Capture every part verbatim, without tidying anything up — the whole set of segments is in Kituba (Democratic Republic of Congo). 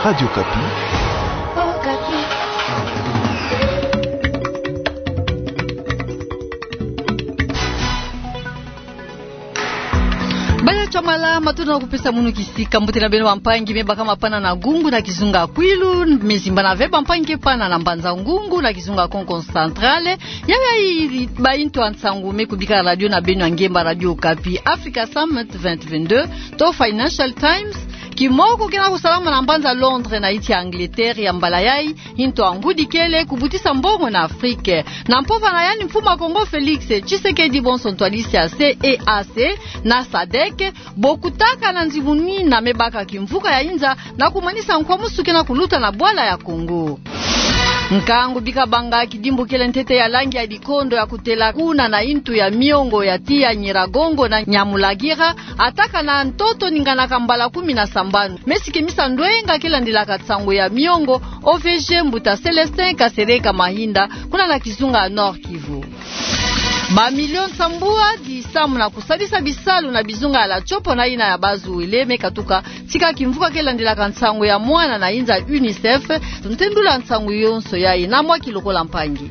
Radio Okapi. Baya Chamala, matondo na kupesa munu kisika. Mbote na beno bampangi, me bakama pana na Gungu na kizunga Kwilu, me zimbana ve bampangi ke pana na Mbanza Ngungu na kizunga Kongo Central. Yayi baintu ya nsangu me kubika radio na beno ya ngemba, Radio Okapi. Africa Summit vingt vingt-deux to Financial Times, kimoko kena kusalama na mbanza Londres na insi ya Angleterre, ya mbala yayi intu ya ngudi kele kubutisa mbongo na Afrique. Na mpova na yandi, mfumu wa Kongo Félix Tshisekedi bonso ntwadisi ya C E A C na sadec bokutaka na nzimuni na me baka kimvuka ya inza na kumanisa nkwamusu kena kuluta na bwala ya Kongo. Nkangu bika banga kidimbu kele ntete ya langi ya dikondo ya kutela kuna na intu ya miongo ya tiya Nyiragongo na Nyamulagira, ataka na ntoto ninganaka mbala kumi na sambanu. Me sikimisa ndwenga kele ndilaka nsangu ya miongo, O V G, mbuta Célestin Kasereka Mahinda, kuna na kizunga Nord-Kivu. Ba millions sambwadi samu na kusalisa bisalu na bizunga ya la Tshopo na ina ya Bas-Uele me katuka tika kimvuka kele ndilaka nsangu ya mwana na inza, UNICEF, ntendula nsangu yonso yayi na mwa kilokola mpangi.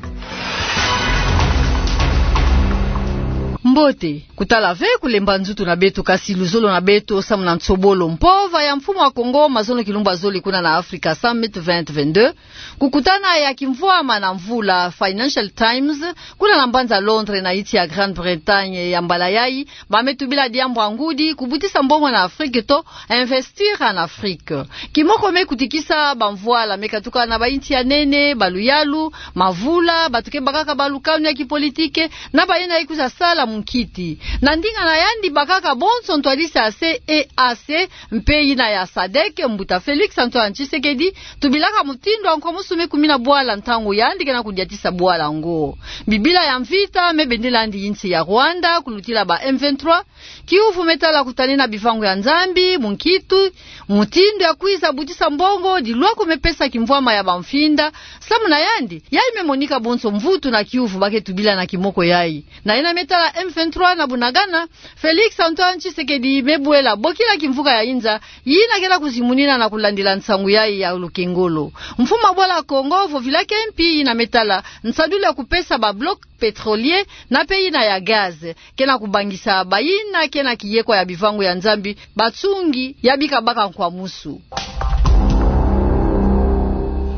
Mbote, kutala ve kulemba nzutu na beto, kasi luzolo na beto samu na nsobolo. Mpova ya mfumu wa Kongo, mazono kilumbu ya zole kuna na Africa Summit vingt vingt-deux, kukutana ya kimvwama na mvula, Financial Times, kuna na mbanza Londres na insi ya Grande-Bretagne, ya mbala yayi ba me tubila diambu ya ngudi, kubutisa mbongo na Afrique to investir en Afrique. Kimoko me kutikisa bamvwala me katuka na bainsi ya nene, baluyalu, mavula, bantu ke bakaka balukanu ya kipolitike, na bayina ikwiza sala munkiti. Na ndinga na yandi bakaka bonso ntwadisi ya C E A C mpe ina ya sadec, mbuta Félix Antoine Tshisekedi, tubilaka mutindu ya nkwamusu me kumina bwala ntangu yandi kena kudiatisa bwala yango. Bibila ya mvita me bendela yandi insi ya Rwanda kulutila ba M vingt-trois, kiuvu me tala kutanina bivangu ya Nzambi, munkiti, mutindu ya kwiza butisa mbongo, dilwaku me pesa kimvwama ya bamfinda. Samu na yandi, yayi me monika bonso mvutu na kiuvu ba ke tubila na kimoko yayi. Na yina me tala M vingt-trois na Bunagana, Félix Antoine Tshisekedi me bwela bokila kimvuka ya inza, yina kena kuzimunina na kulandila nsangu yayi ya lukengolo. Mfumu wa bwala Kongo vovila ke mpi yina me tala nsadulu ya kupesa ba blocs pétroliers na mpe yina ya gaz, kena kubangisa bayina kena kiyekwa ya bivangu ya Nzambi, batsungi ya bika baka nkwamusu.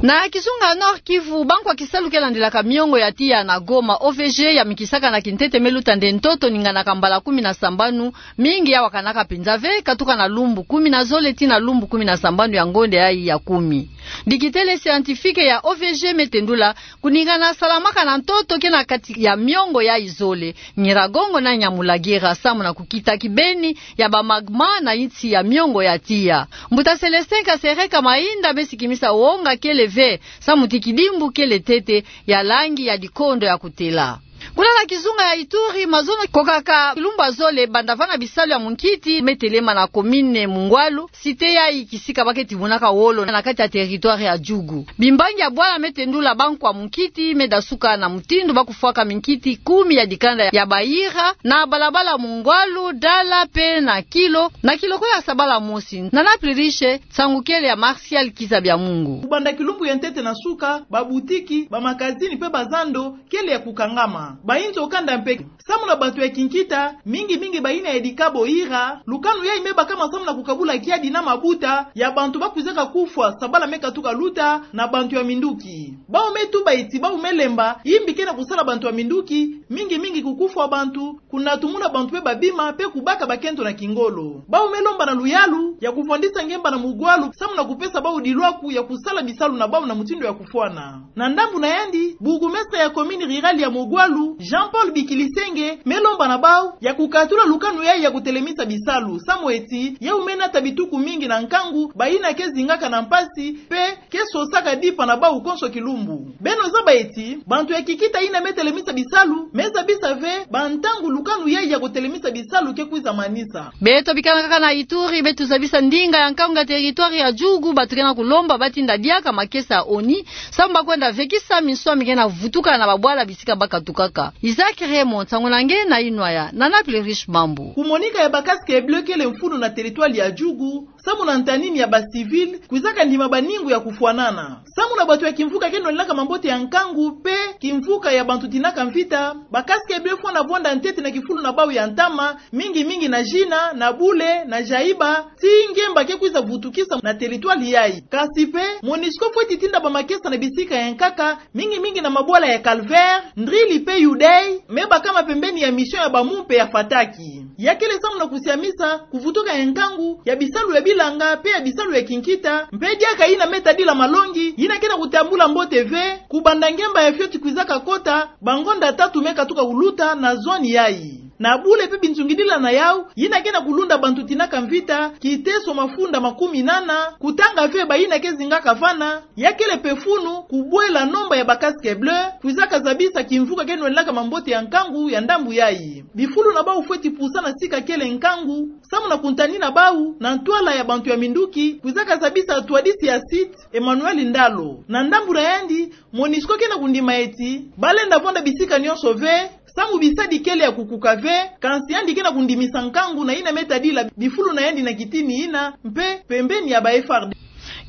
Na kizunga Nord-Kivu, bankwa kisalu kele ndilaka miongo ya tiya na Goma, O V G, ya mikisaka na kintete me luta nde ntoto ninganaka mbala kumi na sambanu, mingi ya wakanaka penza ve, katuka na lumbu kumi na zole tii na lumbu kumi na sambanu ya ngonde yayi ya kumi. Dikitele scientifique ya O V G me tendula, kuningana salamaka na ntoto kena kati ya miongo yayi zole, Nyiragongo na Nyamulagira, samu na kukita kibeni ya ba magma na insi ya miongo ya tiya. Mbuta Célestin Kasereka Mahinda me sikimisa wonga kele ve, samu ti kidimbu kele ntete ya langi ya dikondo ya kutela. Kuna na kizunga ya Ituri, mazono kokaka kilumbu ya zole banda vana bisalu ya munkiti me telema na commune Mungwalu, cité yayi kisika ba ke tibunaka wolo na kati ya territoire ya Djugu. Bimbangi ya bwala me tendula bankwa munkiti me dasuka na mutindu ba kufwaka minkiti kumi ya dikanda ya bayira na balabala Mungwalu, Dala mpe na Kilo, na kilokola sabala mosi. Nana Pluriche, nsangu kele ya Martial Kiza Bya Mungu. Kubanda kilumbu ya ntete na suka, babutiki, bamakazini mpe bazando kele ya kukangama. Bayinzo kanda mpe. Samu na bantu ya kinkita, mingi mingi bayina ya dikabo ira, lukanu yayi me bakama samu na kukabula kiadi na mabuta ya bantu ba kwizaka kufwa, sabala me katuka luta na bantu ya minduki. Bawu me tuba eti bawu me lemba, yimbi kena kusala bantu ya minduki, mingi mingi kukufwa bantu, kunatumuna bantu mpe babima, mpe kubaka bakento na kingolo. Bawu me lomba na luyalu ya kuvwandisa ngemba na Mungwalu, samu na kupesa bawu dilwaku ya kusala bisalu na bawu na mutindu ya kufwana. Na ndambu na yandi, bourgmestre ya commune rurale ya Mungwalu, Jean-Paul Bikilisenge, me lomba na bawu ya kukatula lukanu yayi ya kutelemisa bisalu, samu eti yawu me nata bituku mingi na nkangu, bayina ke zingaka na mpasi, mpe ke sosaka dipa na bawu konso kilumbu. Beno zaba eti, bantu ya kinkita yina me telemisa bisalu, me zabisa ve bantangu lukanu yayi ya kutelemisa bisalu ke kwiza manisa. Beto bikana kaka na Ituri, beto zabisa ndinga ya nkangu ya territoire ya Djugu, bantu kena kulomba ba tinda diaka makesa ya ONU, samu ba kwenda vekisa minswa mi kena vutuka na babwala bisika ba katukaka. Isaac Raymond, nsangu na nge na inwaya, nana Pluriche Mambu. Kumonika ya ba casques bleus kele mfunu na territoire ya Djugu, samu na ntanini ya ba civil kwizaka ndima baningu ya kufwanana. Samu na bantu ya kimvuka ke nwanilaka mambote ya nkangu pe kimvuka ya bantu tinaka mvita, ba casques bleus fwana vwanda ntete na kifulu na bau ya ntama, mingi mingi na Jina, na Bule, na Jaïba, tii ngemba ke kwiza vutukisa na territoire yayi. Kasi pe, MONUSCO fweti tinda bamakesa na bisika ya nkaka, mingi mingi na mabwala ya Calvaire, Ndrili pe Yudei, me bakama pembeni ya mission ya ba Mumpe ya Fataki. Ya kele samu na kusiamisa kuvutuka ya nkangu ya bisalu ya bilanga pe ya bisalu ya kinkita, mpe diaka yina me tadila malongi yina ke na kutambula mbote ve, kubanda ngemba ya fioti kwizaka kota, bangonda tatu me katuka kuluta na zone yayi. Na Bule pe binzungidila na yau, yina ke na kulunda bantu tinaka mvita, kiteso mafunda makumi nana, kutanga ve bayina ke zingaka vana, ya kele pe funu kubwela nomba ya ba casques bleus kwizaka zabisa kimvuka ke nwanilaka mambote ya nkangu ya ndambu yayi. Bifulu na bau fweti pusa na sika kele nkangu, samu na kuntanina bau na ntwala ya bantu ya minduki, kwizaka zabisa ntwadisi ya site Emmanuel Ndalo. Na ndambu na yandi, MONUSCO ke na kundima eti balenda vwanda bisika nionso ve, samu bisadi kele ya kukuka ve, kansi yandi ke na kundimisa nkangu na yina me tadila bifulu na yandi na kitini yina, mpe pembeni ya ba F R D.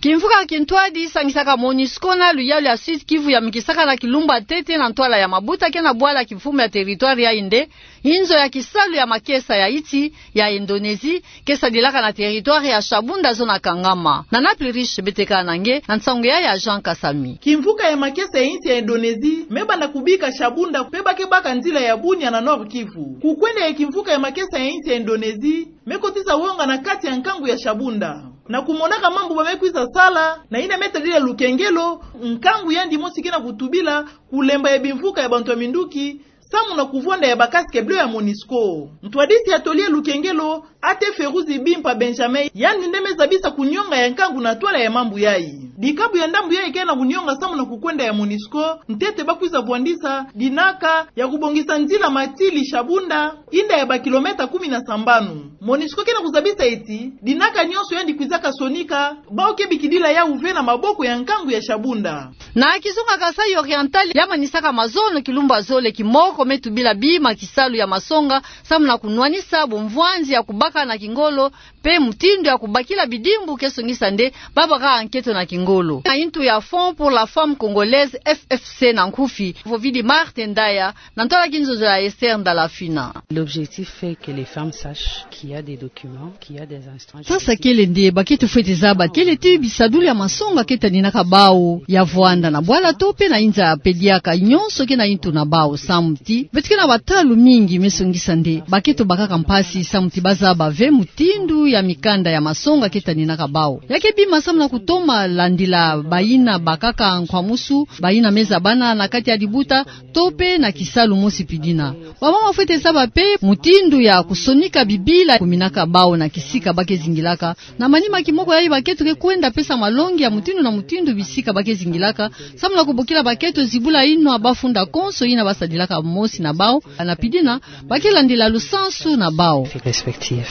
Kimvuka kintwadi sangisaka MONUSCO na luyalu ya Sud-Kivu yamikisaka na kilumbu ya ntete na ntwala ya mabuta ke na bwala kimfumu ya territoire yayi nde inzo ya kisalu ya makesa ya insi ya Indonésie ke sadilaka na territoire ya Shabunda, zone ya Kangama. Nana Pluriche Betekanange na nsangu ya Jean Kasami. Kimvuka ya makesa ya insi ya Indonésie me banda kubika Shabunda pe ba ke baka nzila ya bunia na Nord-Kivu. Kukwenda ya kimvuka ya makesa ya insi ya Indonésie me kotisa wonga na kati ya nkangu ya Shabunda. Na kumonaka mambu ba me kwiza sala na yina me tadila lukengelo, nkangu yandi mosi ke na kutubila kulemba ya bimvuka ya bantu ya minduki, samu na kuvwanda ya ba casques bleus ya MONUSCO. Ntwadisi ya toli ya lukengelo, A T Feruzi Bimpa Benjamin, yandi nde me zabisa kunionga ya nkangu na ntwala ya mambu yayi. Dikabu ya ndambu yayi ke na kunionga samu na kukwenda ya MONUSCO, ntete ba kwiza vwandisa dinaka ya kubongisa nzila Matili Shabunda, inda ya ba kilomètre kumi na sambanu. MONUSCO ke na kuzabisa eti dinaka nionso yandi kwizaka sonika, bau ke bikidila yau ve na maboko ya nkangu ya Shabunda. Na kizunga Kasaï Oriental, ya manisaka mazono kilumbu ya zole kimoko me tubila bima kisalu ya masonga, samu na kunwanisa bumvwanzi ya kubaka na kingolo, pe mutindu ya kubakila bidimbu ke songisa nde ba baka nketo na kingolo. Na intu ya Fonds pour la Femme Congolaise, F F C na nkufi, vovidi Marthe Ndaya, na ntwala kinzonzo ya Esther Ndalafina. L'objectif est que les femmes sachent qu'il y a des documents, qu'il y a des instances juridiques. Sasa kele nde bakento fwete zaba kele ti bisadulu ya masonga ke taninaka bau ya vwanda na bwala to pe na inza pe diaka, nionso ke na intu na bau, samu ti beto ke na batalu mingi me songisa nde bakento bakaka mpasi samu ti ba zaba ve mutindu ya mikanda ya masonga ke taninaka bau. Ya ke bima samu na kutoma landila bayina bakaka nkwamusu, bayina me zabana na kati ya dibuta, to pe na kisalu mosi pidina. Bamama fwete zaba pe mutindu ya kusonika bibila kuminaka bau na kisika ba ke zingilaka. Na manima kimoko yayi bakento ke kwenda pesa malongi ya mutindu na mutindu bisika ba ke zingilaka, samu na kubokila bakento zibula inwa bafunda konso yina ba sadilaka mosi na bau, na pidina ba ke landila lusansu na bau. Respective.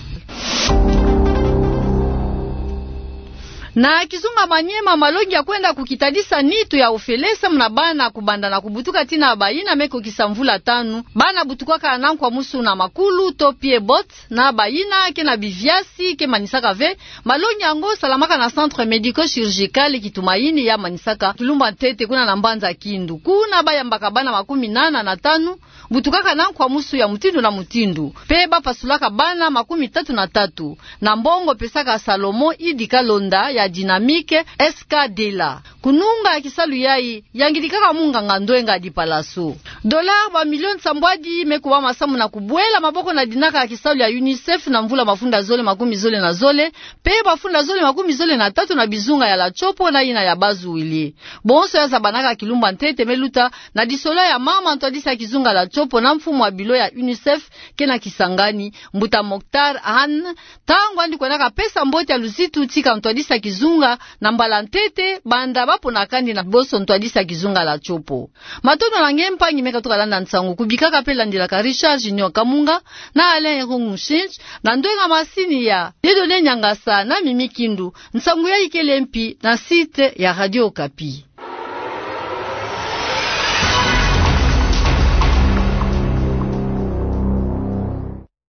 Na kizunga Maniema, malongi ya kwenda kukitadisa nitu ya ofele samu na bana kubanda na kubutuka tii na bayina me kokisa mvula tanu. Bana butukwaka na nkwamusu na makulu to pieds-bottes, na bayina ke na biviasi ke manisaka ve. Malongi yango salamaka na centre médico-chirurgical Kitumaini ya manisaka kilumbu ya ntete kuna na mbanza Kindu. Kuna ba yambaka bana makumi nana na tanu butukaka na nkwamusu ya mutindu na mutindu, pe ba pasulaka bana makumi tatu na tatu. Na mbongo pesaka Salomon Idi Kalonda ya Dynamique S K D la. Kununga kisalu yayi yangidikaka munganga Ndwenga Dipalaso. Dollars ba millions nsambwadi me kubama samu na kubwela maboko na dinaka ya kisalu ya UNICEF na mvula mafunda zole makumi zole na zole, pe mafunda zole makumi zole na tatu na bizunga ya La Tshopo na yina ya Bas-Uele. Bonso ya zabanaka kilumbu ya ntete me luta na disolo ya mama ntwadisi ya kizunga La Tshopo na mfumu ya bilo ya UNICEF ke na Kisangani, mbuta Mokhtar Ahane, ntangu yandi kwendaka pesa mbote ya luzitu tika ntwadisi ya kizunga na mbala ntete banda ba pona kani na bonso ntwadisi ya kizunga La Tshopo. Matondo na nge mpangi me katuka landa nsangu, kubikaka pe landilaka Richard Junior Kamunga na Alain Irungu Nshinji, na ndwenga masini ya Dieudonné Niangasa na Mimi Kindu. Nsangu yayi kele mpi na site ya Radio Okapi.